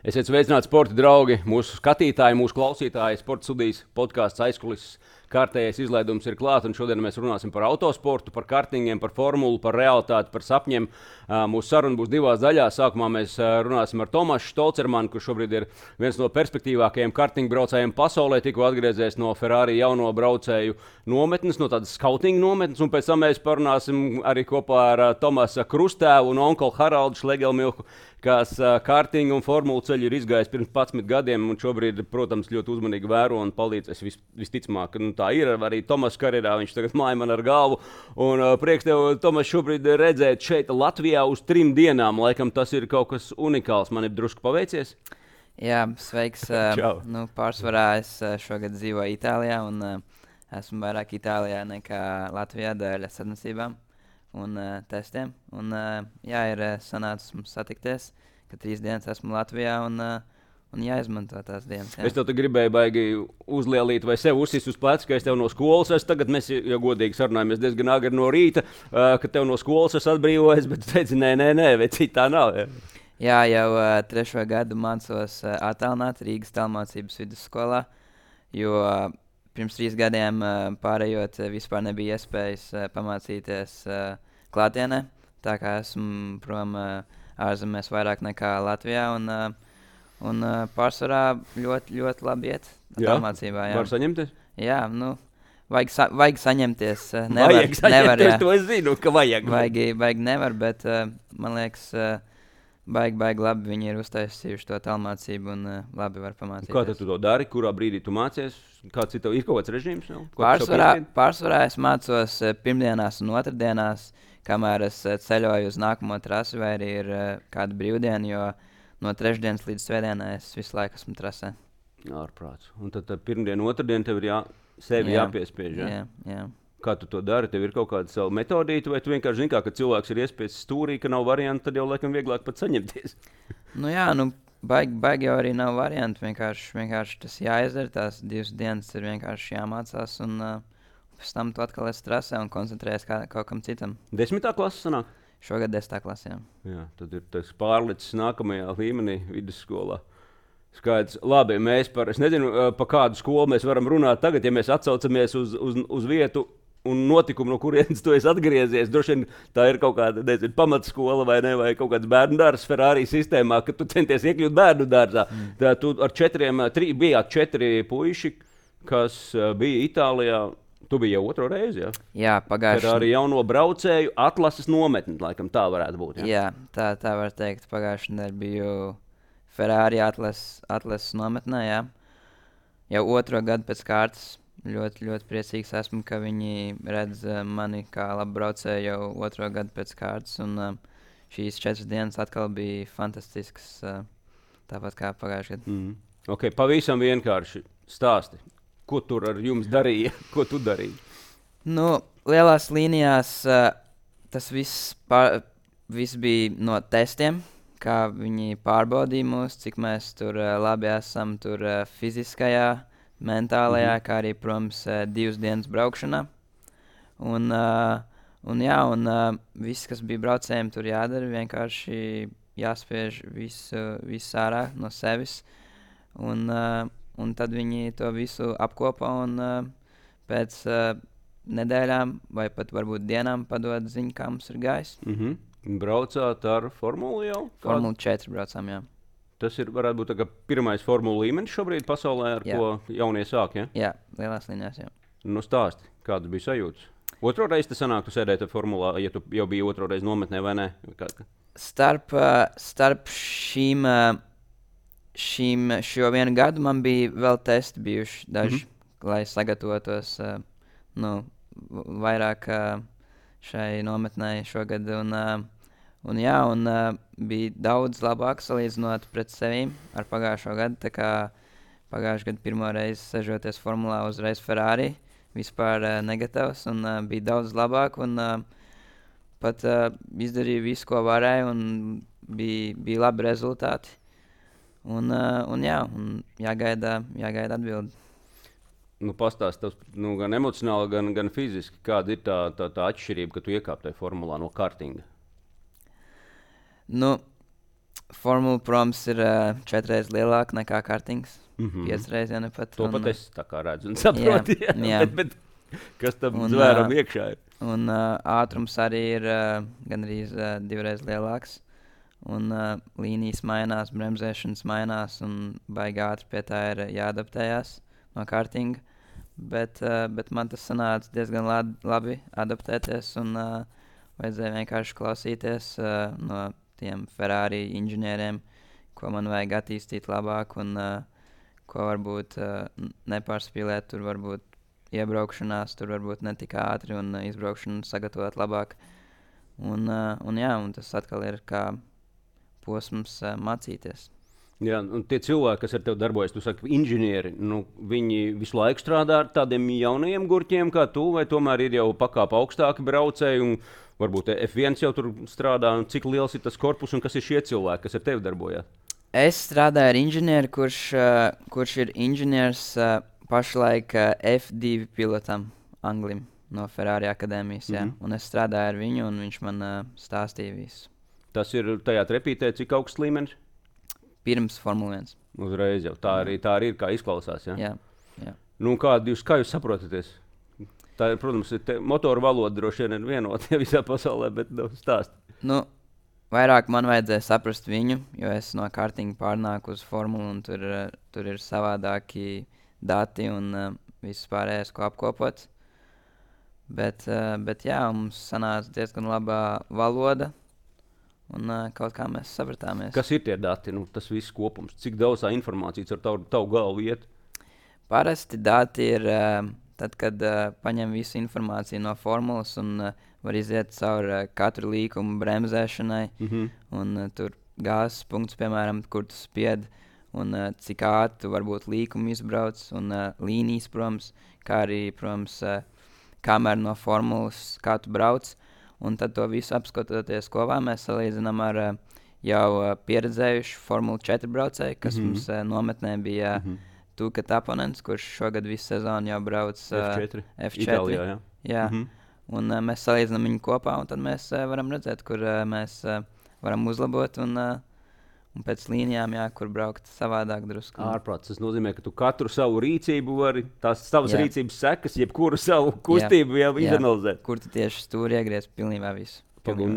Esiet sveicināti, sporta draugi, mūsu skatītāji, mūsu klausītāji. Sporta studijas podkāsts aizkulisēs. Kārtējais izlaidums ir klāts, un šodien mēs runāsim par autosportu, par kartingiem, par formulu, par realitāti, par sapņiem. Mūsu saruna būs divās daļās. Sākumā mēs runāsim ar Tomasu Štolcermanu, kurš šobrīd ir viens no perspektīvākajiem kartingbraucējiem pasaulē. Tikko atgriezies no Ferrari jauno braucēju nometnes, no tādas skautinga nometnes, un pēc tam mēs parunāsim arī kopā ar Tomasa Krustēvu un onkolu Haraldu Šlegelmilku, kas kartinga un formulu ceļu ir izgājis pirms 11 gadiem, un šobrīd, protams, ļoti uzmanīgi vēro un palīdzēs visticamāk. Tā ir arī Tomas karjerā, viņš tagad māja man ar galvu. Un prieks tev, Tomas, šobrīd redzēt šeit Latvijā uz 3 dienām. Laikam tas ir kaut kas unikāls. Man ir drusku paveicies. Jā, sveiks. Pārsvarā es šogad dzīvoju Itālijā, un esmu vairāk Itālijā nekā Latvijā dēļ sacensībām un testiem. Un, ir sanācis mums satikties, ka 3 dienas esmu Latvijā un jāizmanto tās dienas. Jā. Es tev gribēju baigi uzlielīt vai sev uzsist uz pleca, ka es tev no skolas esmu. Tagad mēs jau godīgi sarunājamies diezgan agri no rīta, ka tev no skolas esmu atbrīvojies, bet tu teici, nē, vai citā nav. Jā, jau 3. gadu mācos attālināt Rīgas tālmācības vidusskolā, jo pirms 3 gadiem pārējot vispār nebija iespējas pamācīties klātienē, tā kā esmu prom ārzemēs vairāk nekā Latvijā, un pārsvarā ļoti, ļoti labi iet tālmācībā. Var saņemties? Jā, vajag saņemties. Vajag saņemties, to es zinu, ka vajag. Vajag nevar, bet man liekas, baigi labi viņi ir uztaisījuši to tālmācību un labi var pamācīties. Kā tu to dari? Kurā brīdī tu mācies? Kāds ir kaut kāds režīms? Pārsvarā es mācos pirmdienās un otrdienās, kamēr es ceļoju uz nākamo trasi, vai arī ir kāda brīvdiena, jo no 3. līdz 2. es visu laiku esmu trasē. Ārprāts. Un tad pirmdiena, otrdiena tev ir sevi jāpiespiež. Jā. Kā tu to dari? Tev ir kaut kāda sava metodīta, vai tu vienkārši zini, ka cilvēks ir iespiedis stūrī, ka nav variantu, tad jau laikam vieglāk pat saņemties? Baigi jau arī nav variantu. Vienkārši tas jāizdara. Tās 2 dienas ir vienkārši jāmācās, un pēc tam tu atkal esi trasē un koncentrējies kaut kam citam. 10. klase sanāk? Šogad 10. klasē. Jā, tad ir tas pārlicis nākamajā līmenī vidusskolā. Skaidrs. Labi, es nezinu, pa kādu skolu mēs varam runāt tagad, ja mēs atsaucamies uz vietu un notikumu, no kurienes tu esi atgriezies. Droši vien tā ir kaut kāda, nezinu, pamatskola vai kaut kāds bērnu dārzs Ferrari sistēmā, kad tu centies iekļūt bērnu dārzā. Tā tu bijāt 4 puiši, kas bija Itālijā. Tu biji jau 2. reizi, jā? Jā, pagājuši. Tad arī jauno braucēju atlases nometni, laikam tā varētu būt, jā? Jā, tā var teikt. Pagājuši nedēļ biju Ferrari atlases nometnē, jā. Jau 2. gadu pēc kārtas. Ļoti, ļoti priecīgs esmu, ka viņi redz mani kā labu braucēju jau 2. gadu pēc kārtas, un šīs 4 dienas atkal bija fantastisks, tāpat kā pagājuši gadu. Ok, pavisam vienkārši stāsti. Ko tur ar jums darīja? Ko tu darīji? Lielās līnijās tas viss bija no testiem, kā viņi pārbaudīja mūs, cik mēs tur labi esam tur fiziskajā, mentālajā, kā arī, protams, 2 dienas braukšanā. Un viss, kas bija braucējiem, tur jādara, vienkārši jāspiež viss ārā no sevis. Un tad viņi to visu apkopo un pēc nedēļām vai pat varbūt dienām padod ziņu, kā mums ir gājis. Braucāt ar formulu jau? Formulu 4 braucām, jā. Tas varētu būt tā kā pirmais formulu līmenis šobrīd pasaulē, ar ko jaunie sāk, ja? Jā, lielās līnijās, jā. Stāsti, kādas bija sajūtas? 2. reizi te sanāk, tu sēdēji formulā, ja tu jau biji 2. reizi nometnē vai ne? Starp šo 1 gadu man bija vēl testi bijuši daži, lai sagatavotos vairāk šai nometnē šogad. Un bija daudz labāk salīdzinot pret sevīm ar pagājušo gadu. Tā kā pagājušajā gadā 1. reizi sežoties formulā uzreiz Ferrari, vispār negatavs, un bija daudz labāk. Un pat izdarīju visu, ko varēju, un bija labi rezultāti. Un jāgaida atbildi. Pastāst, gan emocionāli, gan fiziski, kāda ir tā atšķirība, ka tu iekāp tajā formulā no kartinga? Formula, protams, ir 4 reizes lielāka nekā kartings. 5 reizes, ja ne pat. To pat es tā kā redzu un saprotu. Jā. Bet kas tam zvēram iekšā ir? Un ātrums arī ir gandrīz 2 reizes lielāks. Un līnijas mainās, bremzēšanas mainās un baigi ātri pie tā ir jāadaptējās no kartinga. Bet man tas sanāca diezgan labi adaptēties un vajadzēja vienkārši klausīties no tiem Ferrari inženieriem, ko man vajag attīstīt labāk un ko varbūt nepārspīlēt, tur varbūt iebraukšanās, tur varbūt ne tik ātri un izbraukšanu sagatavot labāk. Un tas atkal ir kā posms mācīties. Jā, un tie cilvēki, kas ar tevi darbojas, tu saki, inženieri, viņi visu laiku strādā ar tādiem jaunajiem gurķiem kā tu, vai tomēr ir jau pakāpe augstāki braucēji, un varbūt F1 jau tur strādā, un cik liels ir tas korpus, un kas ir šie cilvēki, kas ar tevi darbojās? Es strādāju ar inženieri, kurš ir inženieris pašlaik F2 pilotam Anglim no Ferrari akadēmijas, jā. Un es strādāju ar viņu, un viņš man stāstīja visu. Tas ir tajā trepītē, cik augsts līmenis? Pirms Formula 1. Uzreiz jau. Tā arī ir, kā izklausās. Ja? Jā. Kā jūs saprotaties? Tā ir, protams, motoru valoda droši vien ir vienota visā pasaulē, bet stāst. Vairāk man vajadzēja saprast viņu, jo es no kartinga pārnāku uz formulu, un tur ir savādāki dati un viss pārējais, ko apkopot. Bet jā, mums sanāca diezgan labā valoda. Un kaut kā mēs sapratāmies. Kas ir tie dati? Tas viss kopums. Cik daudz informācijas ar tavu galvu iet? Parasti dati ir tad, kad paņem visu informāciju no formulas un var iziet cauri katru līkumu bremzēšanai. Un tur gāzes punkts, piemēram, kur tu spied un cik ātri tu varbūt līkumu izbrauc un līnijas, protams, kā arī, protams, kamera no formulas, kā tu brauc. Un tad to visu apskatoties kopā, mēs salīdzinām ar jau pieredzējušu Formula 4 braucēju, kas mums nometnē bija Tuka Taponens, kurš šogad visu sezonu jau brauc F4. Itālijā, jā. Un mēs salīdzinām viņu kopā, un tad mēs varam redzēt, kur mēs varam uzlabot un pēc līnijām, kur braukt savādāk drusku. Ārprāts, tas nozīmē, ka tu katru savu rīcību vari, tās savas rīcības sekas, jebkuru savu kustību jau izanalizēt. Kur tu tieši stūri iegriez pilnībā visu.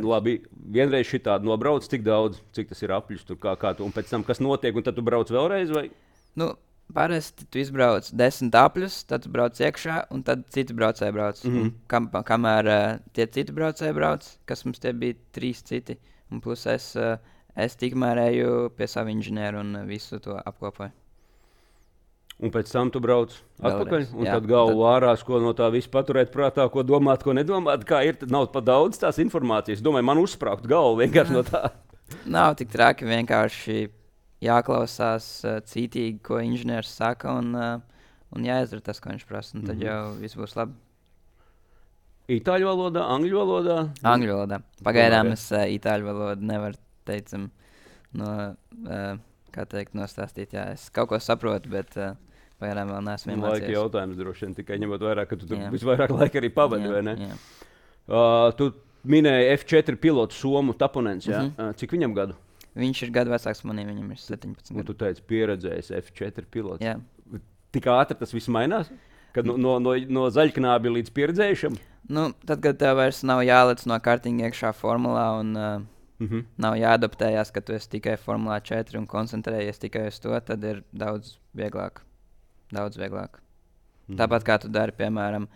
Labi, vienreiz šitādi nobrauc, cik daudz, cik tas ir apļus, tur kā tu, un pēc tam, kas notiek, un tad tu brauc vēlreiz, vai? Parasti tu izbrauc 10 apļus, tad tu brauc iekšā, un tad citi braucēji brauc. Kamēr tie citi braucēji brauc, kas mums tie bija 3 citi, un plus es tikmēr eju pie savu inženieru un visu to apkopoju. Un pēc tam tu brauc atpakaļ, un tad galvu ārās, ko no tā visu paturēt prātā, ko domāt, ko nedomāt, kā ir, tad nav pa daudz tās informācijas. Domāju, man uzspraukt galvu vienkārši no tā. Nav tik traki, vienkārši jāklausās cītīgi, ko inženieris saka, un jāizdara tas, ko viņš prasa, un tad jau viss būs labi. Itāļu valodā, angļu valodā? Angļu valodā. Pagaidām es itāļu valodu nevaru, teicam, nostāstīt. Jā, es kaut ko saprotu, bet pagaidām vēl neesmu iemācījies. Laika jautājums droši vien, tikai ņemot vairāk, ka tu tur visvairāk laika arī pavadi, vai ne? Jā. Tu minēji F4 pilotu Somu Taponens, jā? Cik viņam gadu? Viņš ir gadu vecāks manī, viņam ir 17 gadu. Un tu teici pieredzējis F4 pilots. Jā. Tik ātri tas viss mainās? Kad no zaļknābi līdz pieredzējušam? Tad, kad tev vairs nav jālec no kartinga iekšā formulā un nav jāadaptējās, ka tu esi tikai Formulā 4 un koncentrējies tikai uz to, tad ir daudz vieglāk. Tāpat kā tu dari, piemēram,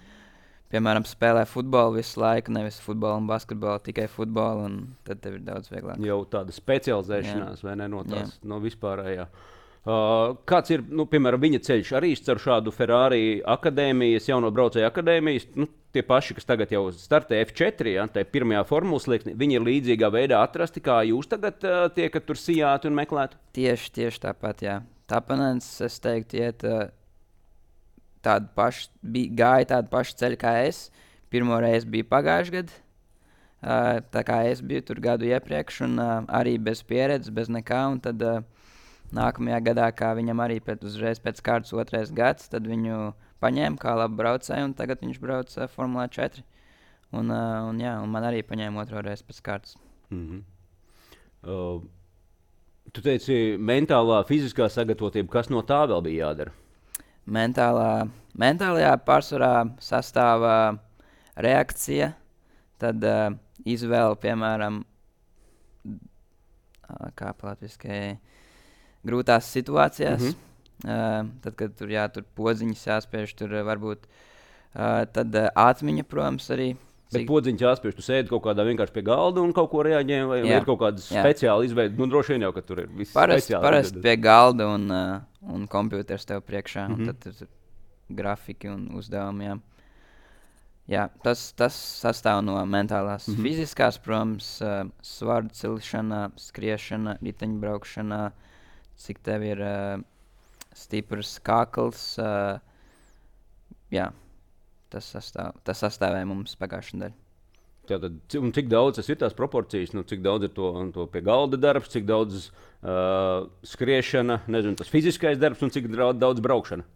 spēlē futbolu visu laiku, nevis futbolu un basketbolu, tikai futbolu, un tad tev ir daudz vieglāk. Jau tāda specializēšanās, vai ne, no vispārējā. Kāds ir, piemēram, viņa ceļš arī ar šādu Ferrari akadēmijas, jauno braucēju akadēmijas, tie paši, kas tagad jau startē F4, tā pirmajā formulas slieksnī, viņi ir līdzīgā veidā atrasti, kā jūs tagad tiekat tur sijāti un meklētu? Tieši tāpat, jā. Taponens, es teiktu, gāja tādu pašu ceļu kā es. Pirmo reizi bija pagājuši gadu, tā kā es biju tur gadu iepriekš, un arī bez pieredzes, bez nekā, un tad nākamajā gadā, kā viņam arī uzreiz pēc kārtas 2. gads, tad viņu paņēma kā labu braucēju, un tagad viņš brauc Formulā 4. Un man arī paņēma 2. reizi pēc kārtas. Tu teici, mentālā, fiziskā sagatavotība, kas no tā vēl bija jādara? Mentālajā pārsvarā sastāvā reakcija, tad izvēle, piemēram, kā latviski, grūtās situācijās. Tad, kad tur podziņas jāspiež, tur varbūt tad atmiņa, protams, arī. Bet podziņš jāspiež, tu sēdi kaut kādā vienkārši pie galda un kaut ko reaģē, vai ir kaut kāda speciāla izveida? Nu, droši vien jau, ka tur ir viss speciāli. Parasti pie galda un kompjuters tev priekšā, un tad ir grafiki un uzdevumi, jā. Tas sastāv no mentālās. Fiziskās, protams, svaru cilšana, skriešana, riteņbraukšana, cik tev ir stiprs kakls, jā. Tas sastāvēja mums pagājušajā nedēļā. Tātad, un cik daudz tas ir tās proporcijas? Nu, cik daudz ir to pie galda darbs, cik daudz skriešana, nezinu, tas fiziskais darbs un cik daudz braukšana?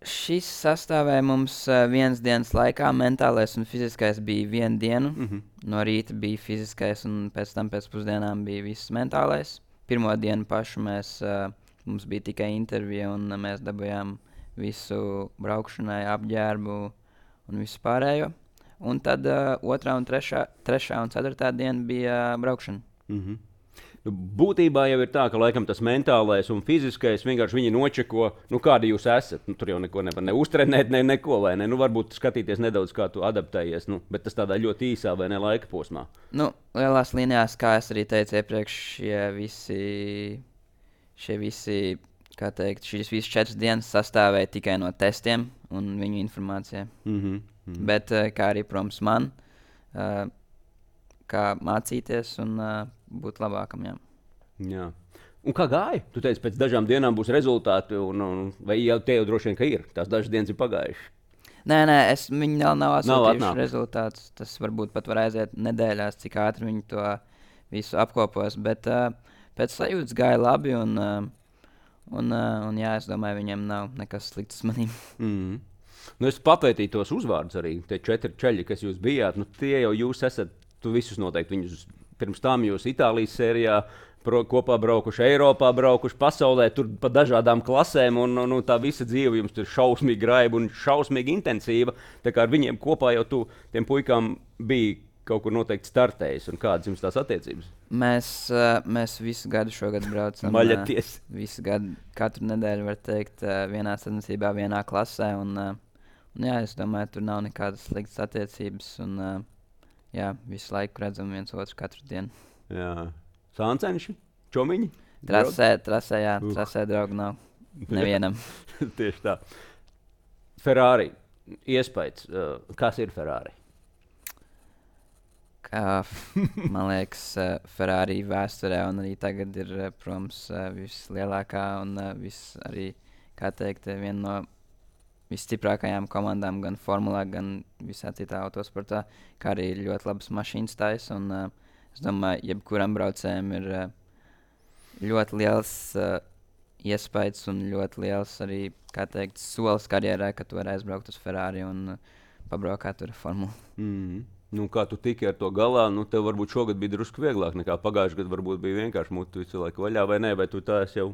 Šis sastāvēja mums vienas dienas laikā. Mentālais un fiziskais bija vienu dienu. No rīta bija fiziskais un pēc tam pēc pusdienām bija viss mentālais. Pirmo dienu pašu mums bija tikai intervija un mēs dabūjām visu braukšanai, apģērbu un visu pārējo. Un tad 2. un 3. un 4. diena bija braukšana. Nu, būtībā jau ir tā, ka laikam tas mentālais un fiziskais vienkārši viņi nočeko, nu kādi jūs esat. Nu, tur jau neko nevar ne uztrenēt, neko vai ne. Nu, varbūt skatīties nedaudz, kā tu adaptējies, bet tas tādā ļoti īsā vai ne laika posmā. Nu, lielās līnijās, kā es arī teicu iepriekš, šie visi kā teikt, šīs visas 4 dienas sastāvēja tikai no testiem un viņu informācijai. Bet kā arī, protams, man, kā mācīties un būt labākam, jā. Un kā gāja? Tu teici, pēc dažām dienām būs rezultāti, vai jau te jau droši vien, ka ir? Tās dažas dienas ir pagājušas. Nē, viņi vēl nav atsūtījuši rezultātus. Tas varbūt pat var aiziet nedēļās, cik ātri viņi to visu apkopos, bet pēc sajūtas gāja labi un jā, es domāju, viņiem nav nekas slikts manīm. Nu, es papētīju tos uzvārdus arī. Tie 4 čeļi, kas jūs bijāt, tie jau jūs esat, tu visus noteikti viņus pirms tam jūs Itālijas sērijā kopā braukuši, Eiropā braukuši, pasaulē, tur pa dažādām klasēm, un tā visa dzīve jums ir šausmīgi graiba un šausmīgi intensīva. Tā kā ar viņiem kopā jau tiem puikām bija kaut kur noteikti startējis, un kādas jums tās attiecības? Mēs visu gadu šogad braucam. Maļaties. Visu gadu, katru nedēļu, var teikt, vienā sacensībā, vienā klasē, un jā, es domāju, tur nav nekādas sliktas attiecības, un jā, visu laiku redzam viens otru katru dienu. Jā. Sāncenši? Čomiņi? Trasē, jā, trasē draugu nav nevienam. Tieši tā. Ferrari. Iespējas. Kas ir Ferrari? Man liekas, Ferrari vēsturē un arī tagad ir, protams, vislielākā un arī, kā teikt, viena no visstiprākajām komandām gan formulā, gan visā citā autosportā, kā arī ļoti labas mašīnas taisa. Es domāju, jebkuram braucējam ir ļoti liels iespējas un ļoti liels arī, kā teikt, solis karjerā, ka tu vari aizbraukt uz Ferrari un pabraukāt tur formulu. Nu, kā tu tiki ar to galā, tev varbūt šogad bija drusku vieglāk nekā pagājušajā gadā. Varbūt bija vienkārši mutu visu laiku vaļā, vai nē, vai tu tā esi jau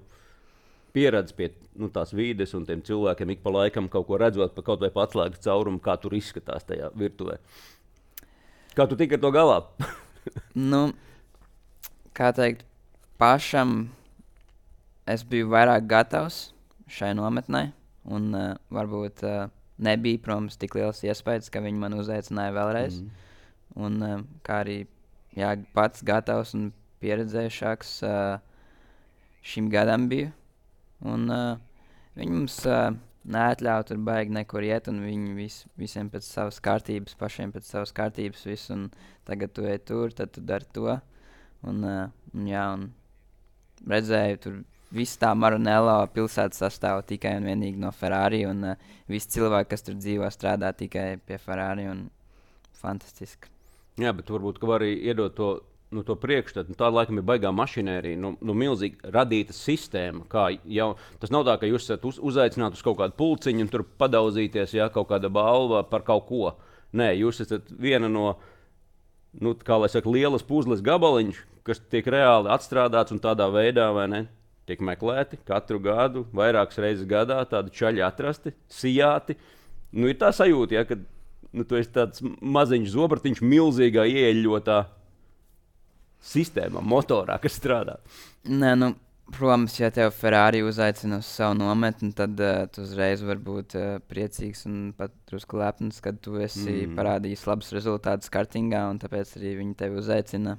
pieredzējis pie tās vīdes un tiem cilvēkiem ik pa laikam kaut ko redzot, kaut vai atslēgas caurumu, kā tur izskatās tajā virtuvē. Kā tu tiki ar to galā? Nu, kā teikt, pašam es biju vairāk gatavs šai nometnē un varbūt nebija, protams, tik liels iespējas, ka viņi man uzaicināja vēlreiz. Un kā arī pats gatavs un pieredzējušāks šim gadam biju. Un viņi mums neatļauj tur baigi nekur iet, un viņi visiem pēc savas kārtības, pašiem pēc savas kārtības visu, un tagad tu ej tur, tad tu dari to. Un redzēju tur visu tā Maranello pilsēta sastāv tikai un vienīgi no Ferrari, un visi cilvēki, kas tur dzīvo, strādā tikai pie Ferrari, un fantastiski. Jā, bet varbūt, ka var arī iedot to priekšstatu. Tā laikam ir baigā mašinērija, milzīgi radīta sistēma. Tas nav tā, ka jūs esat uzaicināti uz kaut kādu pulciņu un tur padauzīties, kaut kāda balva par kaut ko. Nē, jūs esat viena no nu, kā lai saka, lielas puzles gabaliņš, kas tiek reāli atstrādāts un tādā veidā, vai ne? Tiek meklēti katru gadu, vairākas reizes gadā, tādi čaļi atrasti, sijāti. Nu, ir tā sajūta, ja, ka tu esi tāds maziņš zobratiņš milzīgā ieeļotā sistēmā, motorā, kas strādā. Nē, protams, ja tev Ferrari uzaicina uz savu nometni, tad tu uzreiz vari būt priecīgs un pat drusku lepns, kad tu esi parādījis labus rezultātus kartingā, un tāpēc arī viņi tevi uzaicina.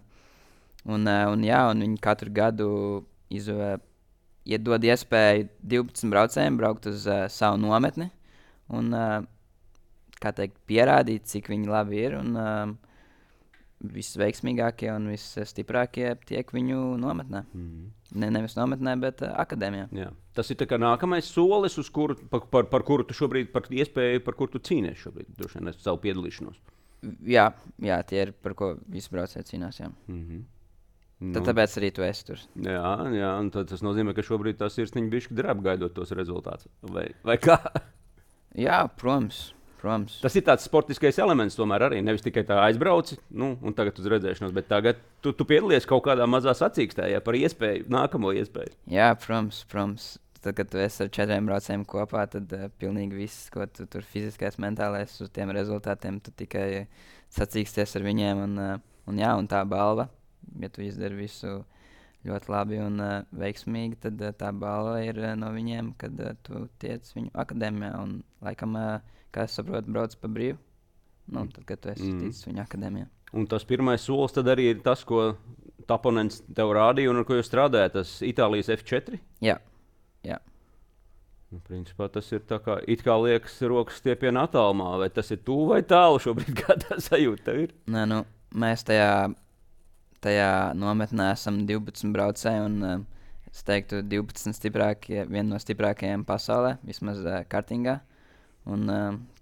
Un viņi katru gadu iedod iespēju 12 braucējiem braukt uz savu nometni un, kā teikt, pierādīt, cik viņi labi ir. Un visveiksmīgākie un visstiprākie tiek viņu nometnē. Nevis nometnē, bet akadēmijā. Jā. Tas ir nākamais solis, uz kuru, par kuru tu šobrīd, par iespēju, par kuru tu cīnies šobrīd, droši vien, savu piedalīšanos. Jā, tie ir, par ko visi braucēji cīnās. Tāpēc arī tu esi tur. Jā, un tas nozīmē, ka šobrīd tā sirsniņa bišķi drēb gaidot tos rezultātus. Vai kā? Jā, protams. Tas ir tāds sportiskais elements tomēr arī. Nevis tikai tā aizbrauci, un tagad uz redzēšanos, bet tagad tu piedalies kaut kādā mazā sacīkstē, par iespēju, nākamo iespēju. Jā, protams. Tad, kad tu esi ar 4 braucējiem kopā, tad pilnīgi viss, ko tu tur fiziskais, mentālais uz tiem rezultātiem, tu tikai sacīksties ar viņiem. Un tā balva, ja tu izdari visu ļoti labi un veiksmīgi, tad tā balva ir no viņiem, kad tu tiec viņu akadēmijā un laikam, kā es saprotu, brauc pa brīvu. Tad, kad tu esi ticis viņa akadēmijā. Un tas pirmais solis tad arī ir tas, ko oponents tev rādīja un ar ko jūs strādājat, tas Itālijas F4? Jā. Principā tas ir tā kā, it kā liekas rokas stiepiena attālumā, vai tas ir tuvu vai tālu šobrīd, kā tā sajūta tev ir? Nē, mēs tajā nometnē esam 12 braucēji un es teiktu 12 viena no stiprākajiem pasaulē, vismaz kartingā. Un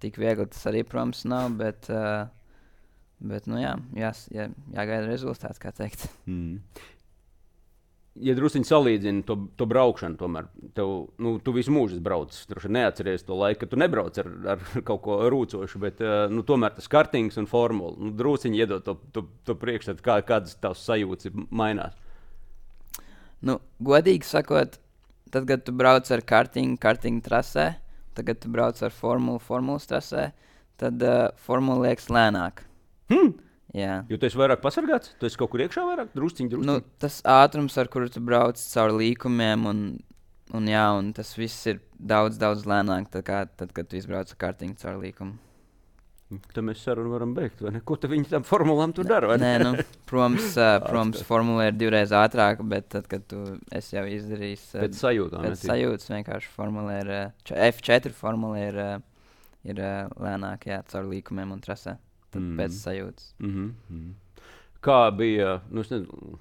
tik viegli tas arī, protams, nav, bet jāgaida rezultāts, kā teikt. Ja drusciņi salīdzini to braukšanu, tomēr tu visu mūžu brauc. Droši neatceries to laiku, kad tu nebrauc ar kaut ko rūcošu, bet tomēr tas kartings un formula. Drusciņi iedod to priekšstatu, kādas tavs sajūtas mainās. Godīgi sakot, tad, kad tu brauc ar karting trasē, tagad tu brauc ar formulas trasē, tad formula liekas lēnāk. Jā. Jo tu esi vairāk pasargāts? Tu esi kaut kur iekšā vairāk? Drusciņi? Tas ātrums, ar kuru tu brauc caur līkumiem, un tas viss ir daudz lēnāk, tad kad tu izbrauc ar kartingu caur līkumu. Tad mēs sarunu varam beigt, vai ne? Ko viņi tam formulām tur dara? Nē, protams, formula ir 2 reizes ātrāka, bet tad, kad tu esi jau izdarījis... Pēc sajūtām. Pēc sajūtas vienkārši formula ir... F4 formula ir lēnāk, caur līkumiem un trasē. Tad pēc sajūtas. Kā bija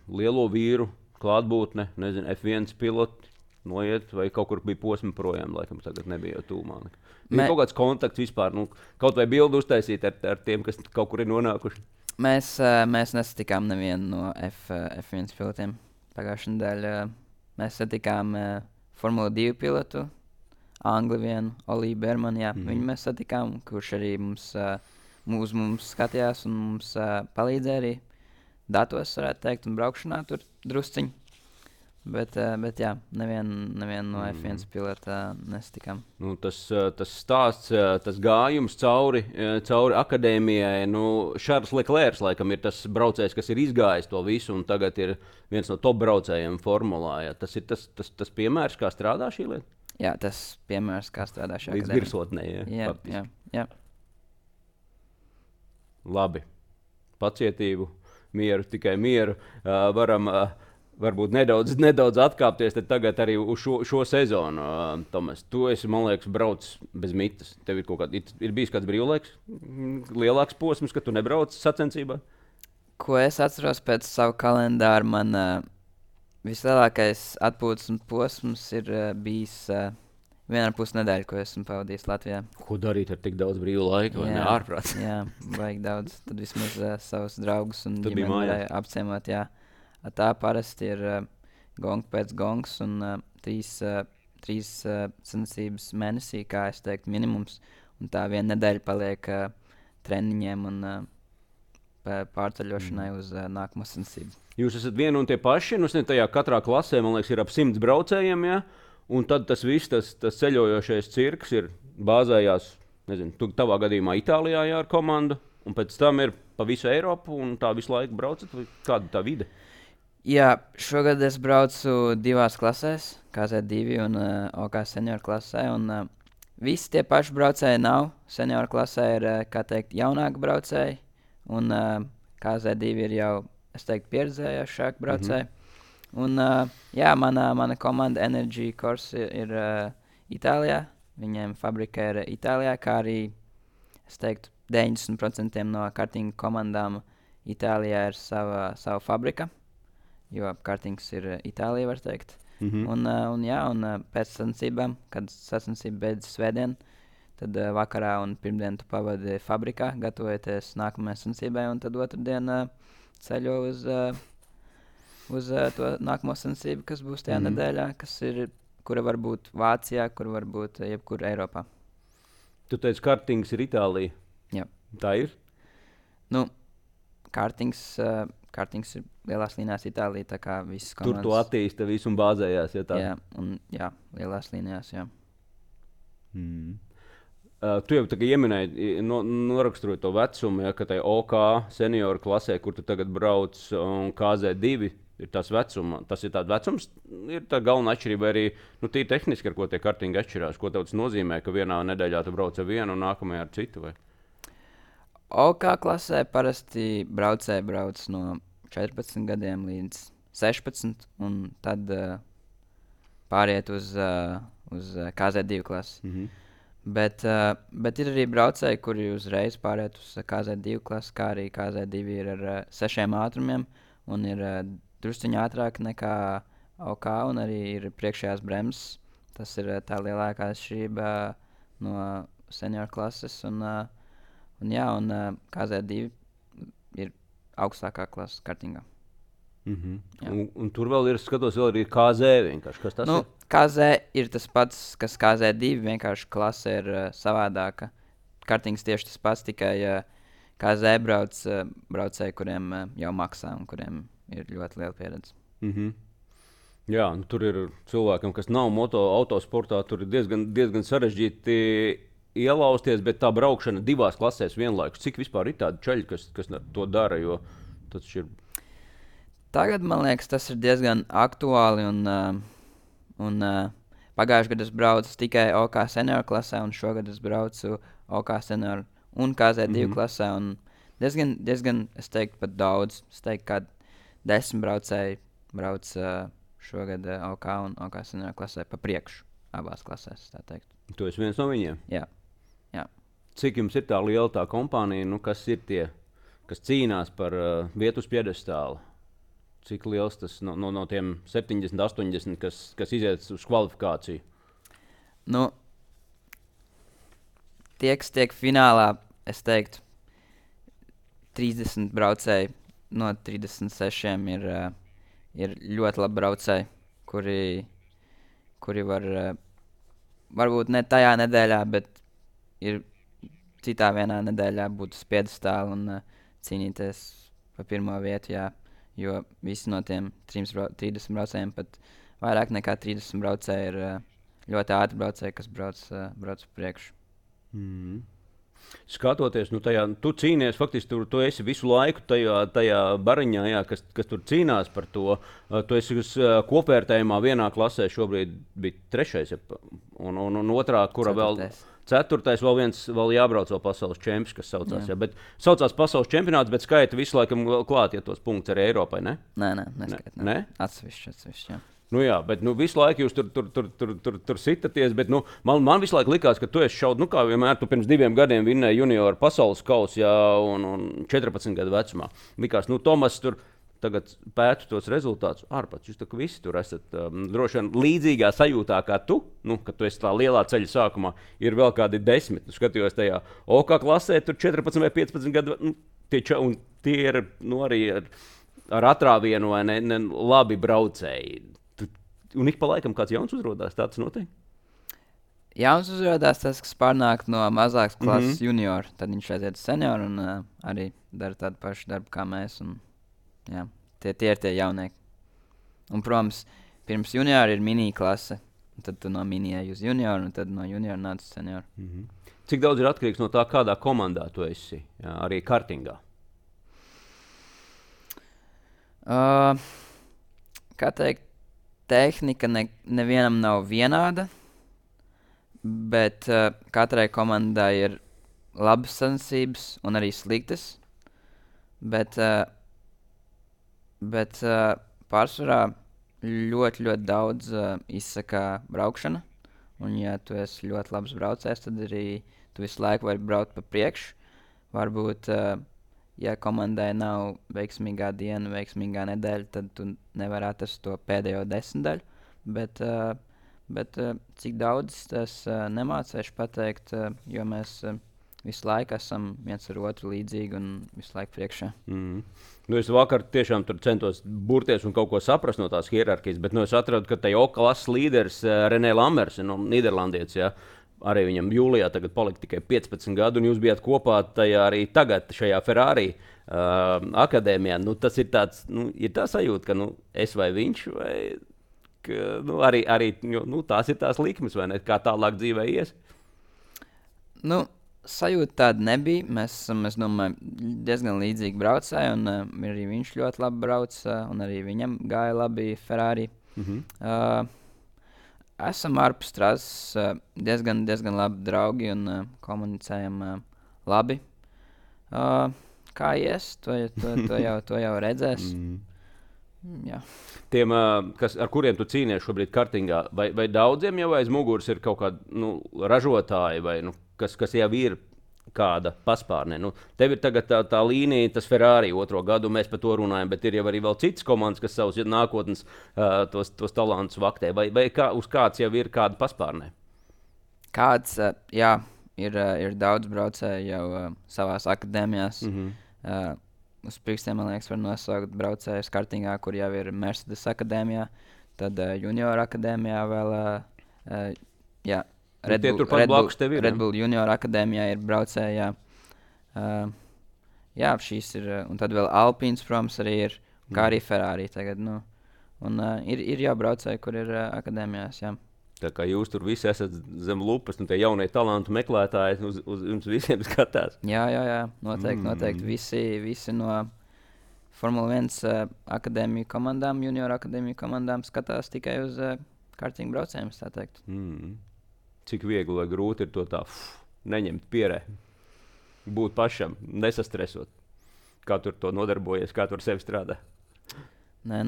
lielo vīru klātbūtne, F1 piloti noiet, vai kaut kur bija posmi projām, laikam tagad nebija jau tūmā. Bija kaut kāds kontakts vispār, kaut vai bildu uztaisīt ar tiem, kas kaut kur ir nonākuši? Mēs nesatikām nevienu no F1 pilotiem. Pagājušajā nedēļā mēs satikām Formula 2 pilotu, Angli vienu, Oliju Bermanu, viņu mēs satikām, kurš arī mums skatījās un mums palīdzēja arī datos, varētu teikt, un braukšanā tur drusciņi. Bet nevienu no F1 pilota nesatikām. Tas stāsts, tas gājums cauri akadēmijai, Šarls Leclerc laikam ir tas braucējs, kas ir izgājis to visu, un tagad ir viens no top braucējiem formulā. Ja. Tas ir tas piemērs, kā strādā šī lieta? Jā, tas piemērs, kā strādā šī akadēmija. Līdz virsotnē, jā. Labi. Pacietību, mieru, tikai mieru. Varam varbūt nedaudz atkāpties tagad arī uz šo sezonu. Tomas, tu esi, man liekas, braucis bez mitas. Tev ir bijis kāds brīvlaiks, lielāks posms, ka tu nebrauc sacensībā? Ko es atceros pēc savu kalendāru, man vislielākais atpūtas posms ir bijis 1,5 nedēļa, ko esmu pavadījis Latvijā. Ko darīt ar tik daudz brīvu laiku, vai ne ārprāt? Jā, vajag daudz. Tad vismaz savus draugus un ģimeni varēja apciemot, Tā parasti ir gongs pēc gongs un 3 sacensības mēnesī, kā es teiktu, minimums. Un tā 1 nedēļa paliek treniņiem un pārceļošanai uz nākamo sacensību. Jūs esat vieni un tie paši, nu, tajā katrā klasē, man liekas, ir ap 100 braucējiem, ja? Un tad tas viss, tas ceļojošais cirks ir bāzējās, nezinu, tavā gadījumā Itālijā jā, ar komandu, un pēc tam ir pa visu Eiropu, un tā visu laiku braucat, vai kāda tā vide? Jā, šogad es braucu 2 klasēs, KZ2 un OK senioru klasē, un visi tie paši braucēji nav. Senioru klasē ir, kā teikt, jaunāki braucēji, un KZ2 ir jau, es teiktu, pieredzējušāki braucēji. Un, jā, mana komanda Energy Course ir Itālijā. Viņiem fabrika ir Itālijā, kā arī, es teiktu, 90% no kartinga komandām Itālijā ir sava fabrika, jo kartings ir Itālija, var teikt. Un pēc sacensībām, kad sacensība beidzas svētdien, tad vakarā un pirmdien tu pavadi fabrikā, gatavoties nākamajai sacensībai, un tad otrdien ceļo uz to nākamo sacensību, kas būs tajā nedēļā, kura var būt Vācijā, kura var būt jebkur Eiropā. Tu teici, kartings ir Itālija. Jā. Tā ir? Nu, kartings ir lielās līnijās Itālija, tā kā visas komandas. Tur tu attīsta visu un bāzējās, ja tā? Jā, lielās līnijās, jā. Tu jau tagad ieminēji, noraksturot to vecumu, ja, ka tai OK senioru klasē, kur tu tagad brauc, un KZ2 ir tas vecums. Tas ir tāds vecums, ir tā galvenā atšķirība arī, tīri tehniski, ar ko tie kartingi atšķirās. Ko tev tas nozīmē, ka vienā nedēļā tu brauc ar vienu un nākamajā ar citu? Vai? OK klasē parasti braucēji brauc no 14 gadiem līdz 16, un tad pāriet uz KZ2 klasi. Bet ir arī braucēji, kuri uzreiz pāriet uz KZ2 klasi, kā arī KZ2 ir ar 6 ātrumiem un ir drusciņi ātrāk nekā OK, un arī ir priekšējās bremzes. Tas ir tā lielākā atšķirība no senioru klases, un KZ2 ir augstākā klase kartingā. Un tur vēl ir, skatos, vēl arī KZ vienkārši. Kas tas ir? KZ ir tas pats, kas KZ2, vienkārši klase ir savādāka. Kartings tieši tas pats, tikai KZ braucēji, kuriem jau maksā un kuriem ir ļoti liela pieredze. Jā, tur ir cilvēkam, kas nav autosportā, tur ir diezgan sarežģīti ielausties, bet tā braukšana 2 klasēs vienlaikus. Cik vispār ir tādi čaļi, kas to dara, jo tas ir... Tagad, man liekas, tas ir diezgan aktuāli, un pagājušajā gadā es braucu tikai OK senioru klasē, un šogad es braucu OK senioru un KZ2 klasē, un diezgan, es teiktu, pat daudz. Es teiktu, ka 10 braucēji brauc šogad OK un OK senioru klasē pa priekšu abās klasēs, tā teikt. Tu esi viens no viņiem? Jā. Cik jums ir tā liela tā kompānija, kas ir tie, kas cīnās par vietu uz piedestāla? Cik liels tas no tiem 70, 80, kas iziet uz kvalifikāciju? Tie, kas tiek finālā, es teiktu, 30 braucēji no 36 ir ļoti labi braucēji, kuri var, varbūt ne tajā nedēļā, bet ir citā vienā nedēļā būt uz piedestāla un cīnīties par pirmo vietu, jā. Jo visi no tiem 30 braucējiem, pat vairāk nekā 30 braucēji ir ļoti ātri braucēji, kas brauc priekšu. Skatoties, tu cīnies, faktiski tu esi visu laiku tajā bariņā, jā, kas tur cīnās par to. Tu esi kopvērtējumā vienā klasē šobrīd bija 3. un otrā, kura 4. vēl... 4. vēl jābrauc vēl pasaules čempions, kas saucās. Jā, bet saucās pasaules čempionāts, bet skaita visu laikam klāt, ja tos punktus arī Eiropai, ne? Nē, neskaita. Ne? Atsevišķi, jā. Jā, bet visu laiku jūs tur sitaties, bet man visu laiku likās, ka tu esi šaud, kā vienmēr, tu pirms 2 gadiem vinnēji junioru pasaules kausu, jā, un 14 gadu vecumā. Likās, Tomas tur tagad pētu tos rezultātus ārpats. Jūs visi tur esat droši vien līdzīgā sajūtā kā tu, kad tu esi tā lielā ceļa sākumā, ir vēl kādi 10. Skatījos tajā OK klasē, tur 14 vai 15 gadu, un tie ir arī ar atrāvienu vai ne labi braucēji. Un ik pa laikam kāds jauns uzrodās, tāds notiek? jauns uzrādās tas, kas pārnāk no mazākas klases junior. Tad viņš aiziet uz senioru un arī dara tādu pašu darbu kā mēs. Un, jā, tie ir tie jaunieki. Un, protams, pirms juniora ir mini klase. Tad tu no mini ej uz junioru un tad no juniora nāc uz senioru. Cik daudz ir atkarīgs no tā, kādā komandā tu esi? Jā, arī kartingā. Kā teikt, tehnika nevienam nav vienāda. Bet katrai komandai ir labas sacensības un arī sliktas. Bet pārsvarā ļoti daudz izsaka braukšana. Un, ja tu esi ļoti labs braucējs, tad arī tu visu laiku vari braukt pa priekšu. Varbūt, ja komandai nav veiksmīgā diena, veiksmīgā nedēļa, tad tu nevari atrast to pēdējo 10 daļu. Bet cik daudz tas nemācēšu pateikt, jo mēs visu laiku esam viens ar otru līdzīgi un visu laiku priekšā. Nu, es vakar tiešām tur centos burties un kaut ko saprast no tās hierarhijas, bet es atradu, ka tajā klases līderis Renē Lammers, no Nīderlandietis, ja, arī viņam jūlijā tagad palika tikai 15 gadu, un jūs bijāt kopā tajā arī tagad šajā Ferrari akadēmijā. Nu, tas ir tāds, ir tā sajūta, ka es vai viņš, vai... Ka, arī tās ir tās likmes, vai ne? Kā tālāk dzīvē ies? Sajūta tāda nebija. Mēs esam, es domāju, diezgan līdzīgi braucēji, un arī viņš ļoti labi brauc, un arī viņam gāja labi Ferrari. Esam ārpus trases diezgan labi draugi un komunicējam labi. Kā ies, to jau redzēs. Jā. Tiem, ar kuriem tu cīnies šobrīd kartingā, vai daudziem jau aiz muguras ir kaut kādi ražotāji, vai kas jau ir kāda paspārnē? Tev ir tagad tā līnija, tas Ferrari 2. gadu, mēs par to runājam, bet ir jau arī vēl citas komandas, kas savus nākotnes tos talantus vaktē, vai uz kāds jau ir kāda paspārnē? Kāds, jā, ir daudz braucēju jau savās akadēmijās. Uz pirkstiem, man liekas, var nosaukt braucējus kartingā, kur jau ir Mercedes akadēmijā, tad junior akadēmijā vēl, jā, Red Bull junior akadēmijā ir braucēji, jā, šīs ir, un tad vēl Alpines, protams, arī ir, kā arī Ferrari tagad, un ir jau braucēji, kur ir akadēmijās, jā. Tā kā jūs tur visi esat zem lupas, un tie jaunie talantu meklētāji uz jums visiem skatās. Jā, noteikti. Visi no Formula 1 akadēmiju komandām, junior akadēmiju komandām skatās tikai uz kartingu braucējiem, tā teikt. Cik viegli vai grūti ir to tā neņemt pierē, būt pašam, nesastresot. Kā tur to nodarbojies, kā tur sevi strādā? Nē,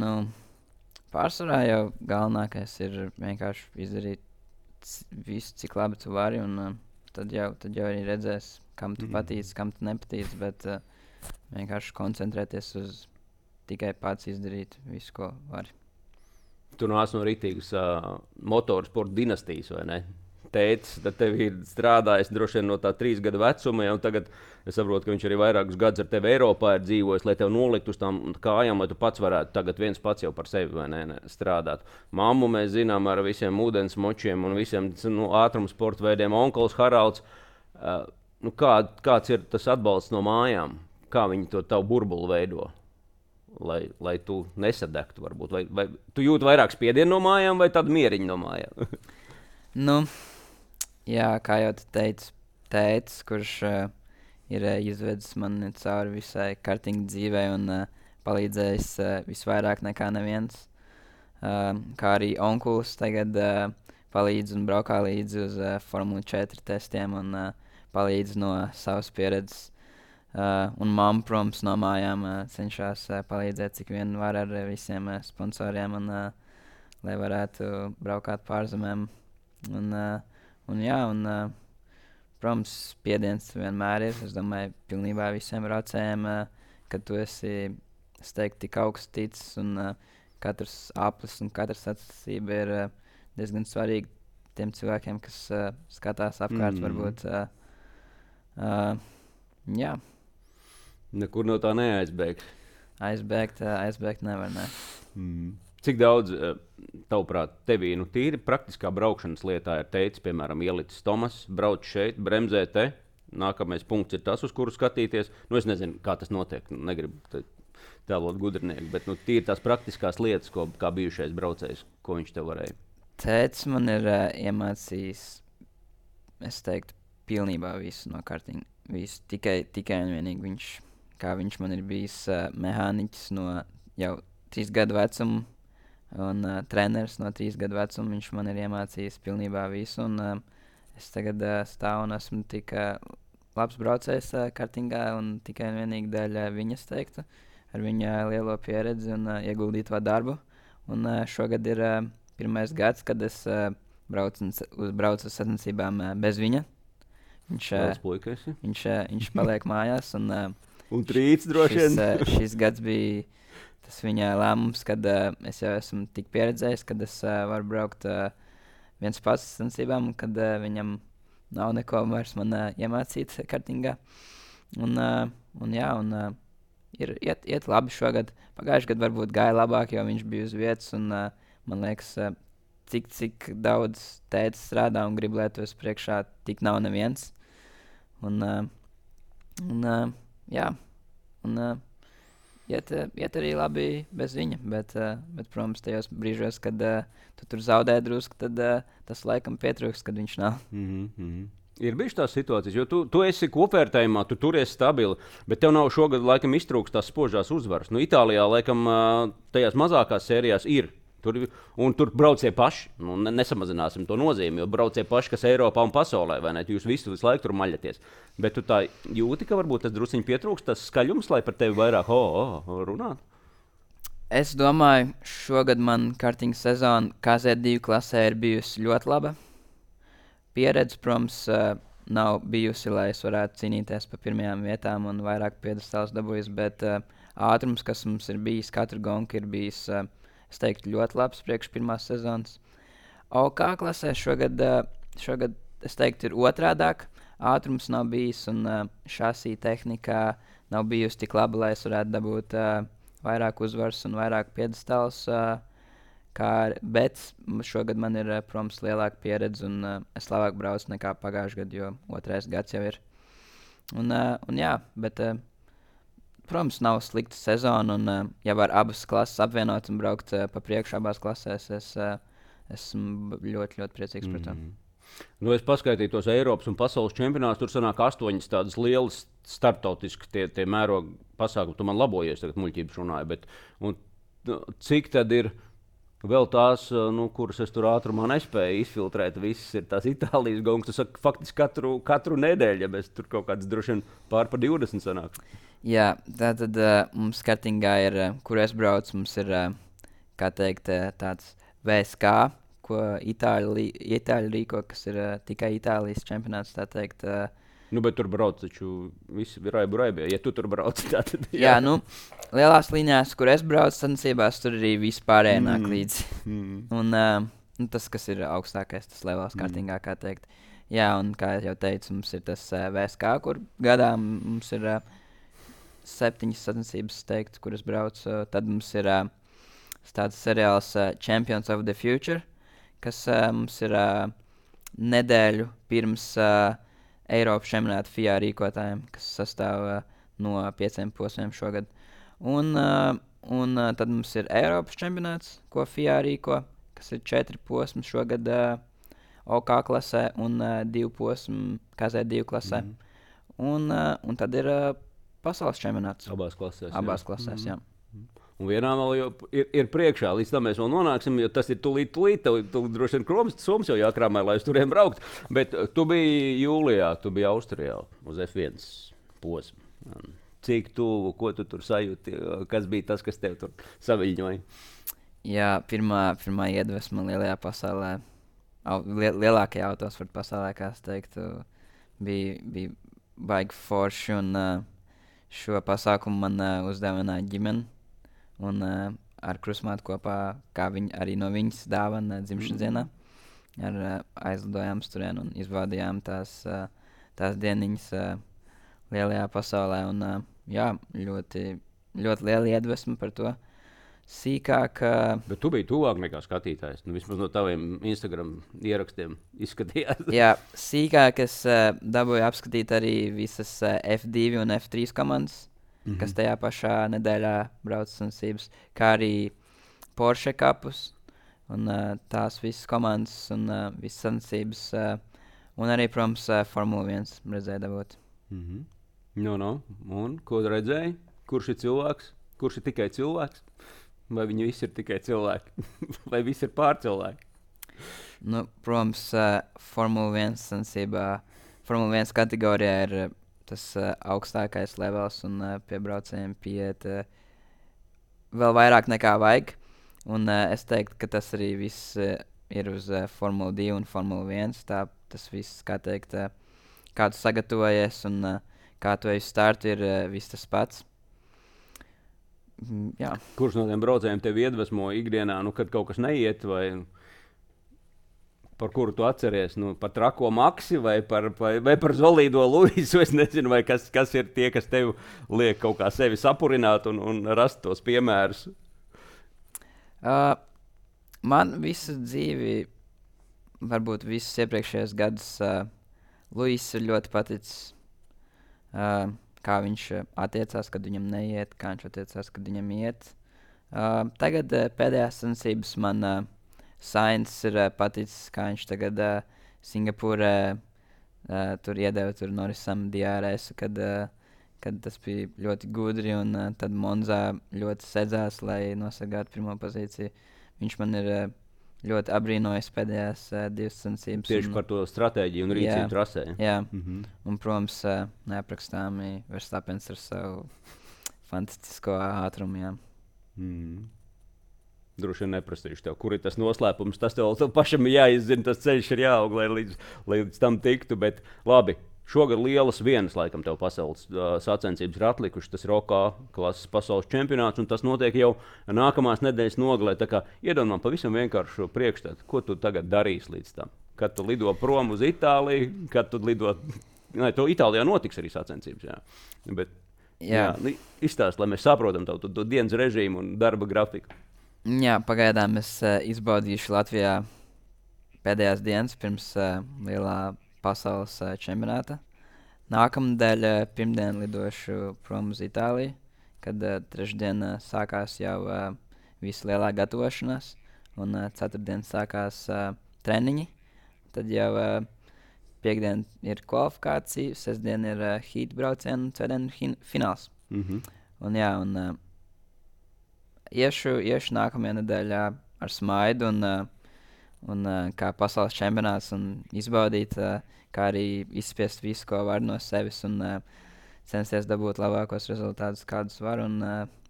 pārsvarā jau galvenākais ir vienkārši izdarīt visu, cik labi tu vari, un tad jau arī redzēs, kam tu patīc, kam tu nepatīc, bet vienkārši koncentrēties uz tikai pats izdarīt visu, ko vari. Tu nāc no ritīgas motorsporta dinastijas, vai ne? Tētis, tad tev ir strādājis droši vien no tā 3 gadu vecuma, un tagad es saprotu, ka viņš arī vairākus gadus ar tevi Eiropā ir dzīvojis, lai tev noliktu uz tām kājām, lai tu pats varētu tagad viens pats jau par sevi, vai ne, strādāt. Mammu mēs zinām ar visiem ūdens močiem un visiem ātruma sporta veidiem, onkls Haralds. Kāds ir tas atbalsts no mājām? Kā viņi to tavu burbuli veido? Lai tu nesadegtu varbūt? Vai tu jūti vairāk spiedienu no mājām vai tādu mieriņu no mājām? Jā, kā jau tu teici, tētis, kurš ir izvedis mani cauri visai kartinga dzīvei un palīdzējis visvairāk nekā neviens. Kā arī onkulis tagad palīdz un braukā līdzi uz Formula 4 testiem un palīdz no savas pieredzes. Un mamma, protams, no mājām cenšas palīdzēt, cik vien var ar visiem sponsoriem, un, lai varētu braukāt pārzemēm. Protams, spiediens vienmēr ir. Es domāju, pilnībā visiem braucējiem, kad tu esi steigti tik augsts ticis, un katrs aplis un katra sacensība ir diezgan svarīga tiem cilvēkiem, kas skatās apkārt, varbūt. Jā. Nekur no tā neaizbēgt. Aizbēgt nevar, ne. Cik daudz, tavuprāt, tevī tīri praktiskā braukšanas lietā ir teicis, piemēram, ielicis Tomas, brauc šeit, bremzē te. Nākamais punkts ir tas, uz kuru skatīties. Es nezinu, kā tas notiek. Negribu tēlot gudrnieku, bet tīri tās praktiskās lietas, kā bijušais braucējs, ko viņš te varēja. Tētis man ir iemācījis, es teiktu, pilnībā visu no kartinga. Visu, tikai un vienīgi viņš man ir bijis mehāniķis no jau 3 gadu vecuma. Un treneris no 3 gadu vecuma, viņš man ir iemācījis pilnībā visu. Es tagad stāvu un esmu tik labs braucējs kartingā un tikai un vienīgi dēļ viņas teiktu, ar viņa lielo pieredzi un ieguldīto darbu. Un šogad ir pirmais gads, kad es braucu uz sacensībām bez viņa. Viņš paliek mājās. Un trīc droši vien. Šis gads bija tas viņa lēmums, kad es jau esmu tik pieredzējis, kad es varu braukt viens pats sacensībām, kad viņam nav neko vairs man iemācīt kartingā. Iet labi šogad. Pagājušajā gadā varbūt gāja labāk, jo viņš bija uz vietas. Man liekas, cik daudz tētis strādā un grib lietot priekšā, tik nav neviens. Iet arī labi bez viņa, bet protams, tajos brīžos, kad tu tur zaudē drusku, tad tas laikam pietrūks, kad viņš nav. Ir bijušas tās situācijas, jo tu esi kopvērtējumā, tu turies stabili, bet tev nav šogad laikam iztrūkst tās spožās uzvaras. Itālijā laikam tajās mazākās sērijās ir. Tur braucie paši, nesamazināsim to nozīmi, jo braucie paši, kas Eiropā un pasaulē, vai ne? Jūs visu laiku tur maļaties. Bet tu tā jūti, ka varbūt tas drusciņi pietrūkst, tas skaļums, lai par tevi vairāk runāt? Es domāju, šogad man kartinga sezona KZ2 klasē ir bijusi ļoti laba. Pieredze, protams, nav bijusi, lai es varētu cīnīties par pirmajām vietām un vairāk piedestāls dabūjis, bet ātrums, kas mums ir bijis, katru gonku ir bijis, es teiktu, ļoti labs priekš pirmās sezonas. OK klasē šogad es teiktu, ir otrādāk. Ātrums nav bijis un šasī tehnikā nav bijusi tik laba, lai es varētu dabūt vairāk uzvaras un vairāk piedestāls. Bet šogad man ir, protams, lielāka pieredze un es labāk braucu nekā pagājušajā gadā, jo 2. gads jau ir. Bet, protams, nav slikta sezona un ja var abas klases apvienot un braukt pa priekšu abās klasēs, es esmu ļoti, ļoti priecīgs par to. Es paskaitīju tos Eiropas un pasaules čempionātus, tur sanāk 8 tādas lielas starptautiskas tie mēroga pasākumi. Tu man labojies, tagad muļķības runāju, bet cik tad ir vēl tās, kuras es tur ātrumā nespēju izfiltrēt, visas ir tās Itālijas gongas. Tu saki, faktiski katru nedēļu, ja mēs tur kaut kāds droši vien pār par 20 sanāk. Jā, tātad mums kartingā ir, kur es braucu, mums ir, kā teikt, tāds VSK, ko Itāļi rīko, kas ir tikai Itālijas čempionāts, tā teikt. Bet tur brauc taču visi raibi, ja tu tur brauc. Tad, jā, lielās līnijās, kur es braucu sacensībās, tur arī vispārējā nāk līdzi. Un tas, kas ir augstākais, tas levels kartingā, kā teikt. Jā, un kā jau teicu, mums ir tas VSK, kur gadā mums ir 7 sacensības, teikt, kuras braucu. Tad mums ir tāds seriāls Champions of the Future, kas mums ir nedēļu pirms Eiropas čempionāta FIA rīkotājiem, kas sastāv no 5 posmiem šogad. Un tad mums ir Eiropas čempionāts, ko FIA rīko, kas ir 4 posmi šogad OK klasē un 2 posmi KZ2 klasē. Un tad ir pasaules čempionāts. Abās klasēs. Abās klasēs, jā. Un vienā vēl ir priekšā, līdz tam mēs vēl nonāksim, jo tas ir tūlīt. Tu droši vien Soms jau jākrāmē, lai uz turiem braukt. Bet tu biji jūlijā, tu biji Austrijā uz F1 posmu. Cik tuvu, ko tu tur sajūti, kas bija tas, kas tev tur saviļņoja? Jā, pirmā iedvesma lielajā pasaulē, lielākajā autosporta pasaulē, kā es teiktu, bija baigi forši. Un šo pasākumu man uzdāvināja ģimene. Un ar krustmātu kopā, kā arī no viņas dāvana dzimšanas dienā, aizlidojām turien un izbaudījām tās dieniņas lielajā pasaulē. Un, jā, ļoti, ļoti liela iedvesma par to. sīkāk. Bet tu biji tuvāk nekā skatītājs. Vismaz no taviem Instagram ierakstiem izskatījās. Jā, sīkāk es dabūju apskatīt arī visas F2 un F3 komandas, kas tajā pašā nedēļā brauc sacensības, kā arī Porsche kapus un tās visas komandas un visas sacensības. Un arī, protams, Formula 1 redzēju dabūt. Un ko redzēji? Kurš ir cilvēks? Kurš ir tikai cilvēks? Vai viņi visi ir tikai cilvēki? Vai visi ir pārcilvēki? Protams, Formula 1 sacensībā, Formula 1 kategorijā ir tas augstākais levels un pie braucējiem pieiet vēl vairāk nekā vajag. Un es teiktu, ka tas arī viss ir uz Formula 2 un Formula 1. Tas viss, kā teikt, kā tu sagatavojies un kā tu ej uz startu, ir viss tas pats. Jā. Kurš no tiem braucējiem tevi iedvesmo ikdienā, kad kaut kas neiet, vai par kuru tu atceries? Par trako Maksi vai par Zolīdo Luisu? Es nezinu, vai kas ir tie, kas tev liek kaut kā sevi sapurināt un rast tos piemērus. Man visu dzīvi, varbūt visus iepriekšējos gadus, Luis ir ļoti paticis. Kā viņš attiecās, kad viņam neiet, kā viņš attiecās, kad viņam iet. Tagad pēdējās sacensības man Sainz ir paticis, kā viņš tagad Singapūrē tur iedeva Norrisam DRS, kad tas bija ļoti gudri, un tad Monzā ļoti sedzās, lai nosargātu pirmo pozīciju. Viņš man ir ļoti abrīnojis pēdējās divas sacensības. Tieši par to stratēģiju un rīcību trasē. Jā, un, protams, neaprakstāmi Verstappens ar savu fantastisko ātrumu. Jā. Droši vien neprasīšu tev, kur ir tas noslēpums. Tas tev pašam ir jāizzina, tas ceļš ir jāaug, lai līdz tam tiktu. Bet labi, šogad lielas vienas, laikam, tev pasaules sacensības ir atlikušas. Tas ir OK klases pasaules čempionāts, un tas notiek jau nākamās nedēļas nogalē. Tā kā iedomā pavisam vienkāršu priekšstatu, ko tu tagad darīsi līdz tam. Kad tu lido prom uz Itāliju, kad tu lido... To Itālijā notiks arī sacensības, jā. Bet, jā, izstāst, lai mēs saprotam to dienas režīmu un darba grafiku. Jā, pagaidām es izbaudīšu Latvijā pēdējās dienas pirms lielā pasaules čempionāta. Nākamnedēļ pirmdien lidošu prom uz Itāliju, kad trešdien sākās jau visa lielā gatavošanās, un ceturtdien sākās treniņi. Tad jau piekdien ir kvalifikācija, sestdien ir heat brauciena un ceturtdien ir fināls. Un jā, un iešu nākamajā nedēļā ar smaidu un kā pasaules čempionāts un izbaudīt, kā arī izspiest visu, ko var no sevis un censties dabūt labākos rezultātus, kādus var, un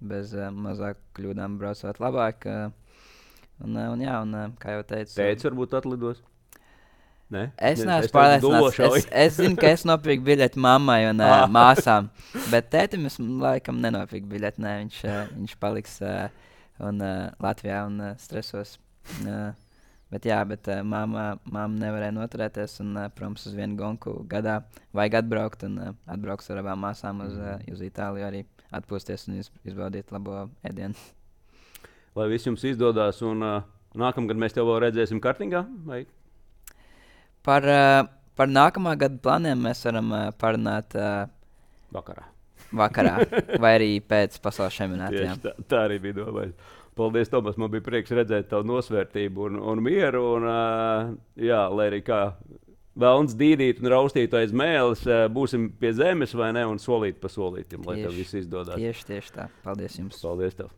bez mazāk kļūdām braucot labāk. Un kā jau teicu... Tētis varbūt atlidos? Ne? Es neesmu pārliecināts. Es zinu, ka es nopirku biļeti mammai un māsām, bet tētim es laikam nenopirku biļeti. Ne, viņš paliks Latvijā un stresos. Bet mamma nevarēja noturēties un, protams, uz vienu gonku gadā vajag atbraukt un atbrauks ar abām māsām uz Itāliju arī atpūsties un izbaudīt labo ēdienu. Lai viss jums izdodas un nākamgad mēs tev vēl redzēsim kartingā? Vai? Par nākamā gada plāniem mēs varam parunāt vakarā vai arī pēc pasaules čempionāta. Tā arī bija domāts. Paldies, Tomas. Man bija prieks redzēt tavu nosvērtību un mieru. Un, lai arī kā vēlns dīdīt un raustīt aiz mēles, būsim pie zemes vai ne un solīt pa solītim, lai tev viss izdodas. Tieši tā. Paldies jums. Paldies tev.